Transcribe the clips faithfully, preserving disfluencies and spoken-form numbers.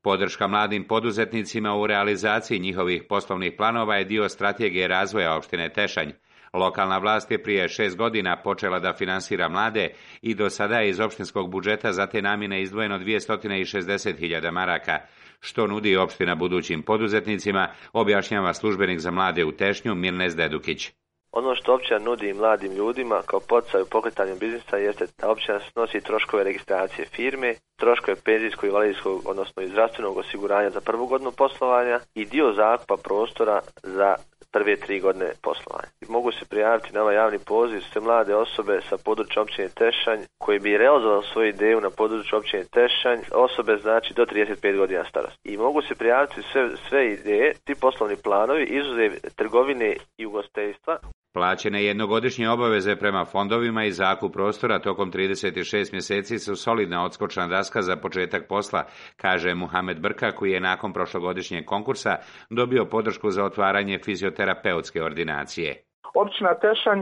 Podrška mladim poduzetnicima u realizaciji njihovih poslovnih planova je dio strategije razvoja opštine Tešanj. Lokalna vlast je prije šest godina počela da finansira mlade i do sada je iz opštinskog budžeta za te namjene izdvojeno dvjesto šezdeset hiljada maraka. Što nudi opština budućim poduzetnicima, objašnjava službenik za mlade u Tešnju Mirnes Dedukić. Ono što općina nudi mladim ljudima kao poticaj u pokretanju biznisa jeste da općina snosi troškove registracije firme, troškove penzijskog, invalidskog, odnosno i zdravstvenog osiguranja za prvu godinu poslovanja i dio zakupa prostora za prve tri godine poslovanja. Mogu se prijaviti na ovaj javni poziv sve mlade osobe sa područja općine Tešanj koji bi realizovali svoju ideju na području općine Tešanj, osobe znači do trideset pet godina starosti. I mogu se prijaviti sve, sve ideje, ti poslovni planovi, izuzev trgovine i ugostiteljstva. Plaćene jednogodišnje obaveze prema fondovima i zakup prostora tokom trideset šest mjeseci su solidna odskočna daska za početak posla, kaže Muhamed Brka, koji je nakon prošlogodišnjeg konkursa dobio podršku za otvaranje fizioterapeutske ordinacije. Općina Tešanj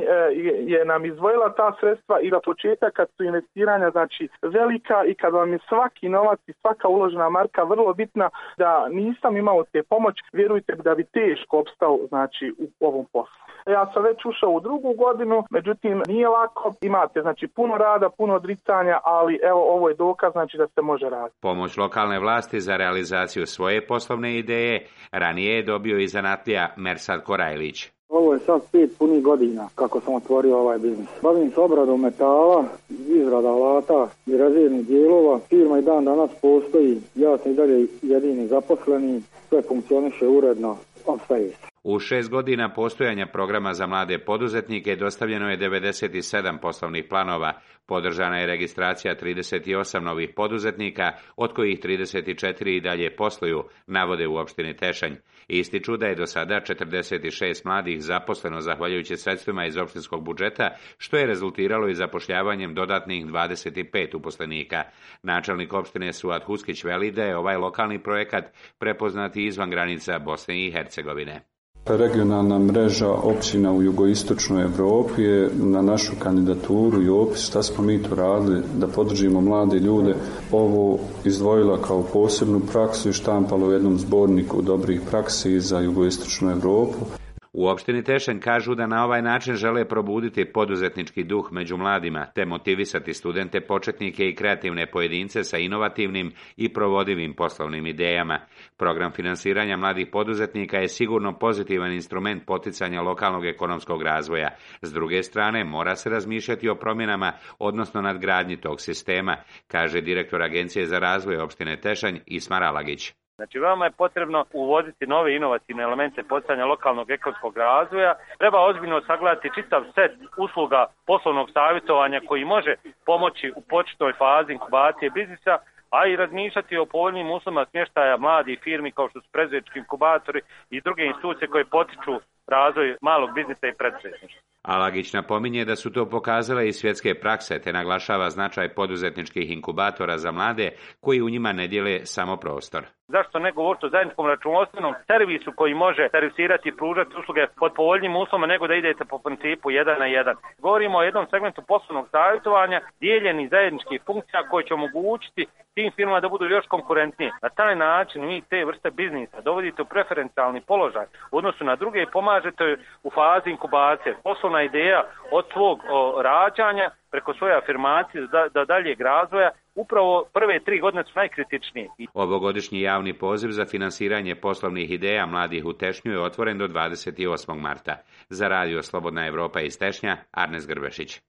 je nam izdvojila ta sredstva i za početak kad su investiranja znači velika i kad vam je svaki novac i svaka uložena marka vrlo bitna, da nisam imao te pomoć, vjerujte da bi teško opstao znači u ovom poslu. Ja sam već ušao u drugu godinu, međutim nije lako, imate znači puno rada, puno odricanja, ali evo ovo je dokaz znači da se može raditi. Pomoć lokalne vlasti za realizaciju svoje poslovne ideje ranije je dobio i zanatlija Mersad Korajlić. Ovo je sad pet punih godina kako sam otvorio ovaj biznis. Bavim se obradom metala, izrada alata i rezervnih dijelova. Firma i dan danas postoji, ja sam i dalje jedini zaposleni, sve funkcioniše uredno, opstaje se. U šest godina postojanja programa za mlade poduzetnike dostavljeno je devedeset sedam poslovnih planova, podržana je registracija trideset osam novih poduzetnika, od kojih trideset četiri i dalje posluju, navode u opštini Tešanj. Ističu da je do sada četrdeset šest mladih zaposleno zahvaljujući sredstvima iz opštinskog budžeta, što je rezultiralo i zapošljavanjem dodatnih dvadeset pet uposlenika. Načelnik opštine Suad Huskić veli da je ovaj lokalni projekat prepoznat i izvan granica Bosne i Hercegovine. Regionalna mreža općina u jugoistočnoj Europi je na našu kandidaturu i opis šta smo mi to radili da podržimo mlade ljude ovo izdvojila kao posebnu praksu i štampala u jednom zborniku dobrih praksi za jugoistočnu Europu. U opštini Tešanj kažu da na ovaj način žele probuditi poduzetnički duh među mladima, te motivisati studente, početnike i kreativne pojedince sa inovativnim i provodivim poslovnim idejama. Program finansiranja mladih poduzetnika je sigurno pozitivan instrument poticanja lokalnog ekonomskog razvoja. S druge strane, mora se razmišljati o promjenama, odnosno nadgradnji tog sistema, kaže direktor Agencije za razvoj opštine Tešanj Ismar Alagić. Znači, veoma je potrebno uvoditi nove inovativne elemente poticanja lokalnog ekonomskog razvoja. Treba ozbiljno sagledati čitav set usluga poslovnog savjetovanja koji može pomoći u početnoj fazi inkubacije biznisa, a i razmišljati o povoljnim uslovima smještaja mladih firmi kao što su preduzetnički inkubatori i druge institucije koje potiču razvoj malog biznisa i preduzetništva. Alagić napominje da su to pokazale i svjetske prakse, te naglašava značaj poduzetničkih inkubatora za mlade koji u njima ne dijele samo prostor. Zašto ne govoriti o zajedničkom računovodstvenom servisu koji može servisirati i pružati usluge pod povoljnim uslovima nego da idete po principu jedan na jedan. Govorimo o jednom segmentu poslovnog savjetovanja, dijeljenih zajedničkih funkcija koje će omogućiti tim firmama da budu još konkurentnije. Na taj način vi te vrste biznisa dovodite u preferencijalni položaj u odnosu na druge i pomažete u fazi inkubacije. Poslovna ideja od svog o, rađanja preko svoje afirmacije do, do daljeg razvoja, upravo prve tri godine su najkritičnije. Ovogodišnji javni poziv za finansiranje poslovnih ideja mladih u Tešnju je otvoren do dvadeset osmog marta. Za radio Slobodna Evropa iz Tešnja, Arnes Grbešić.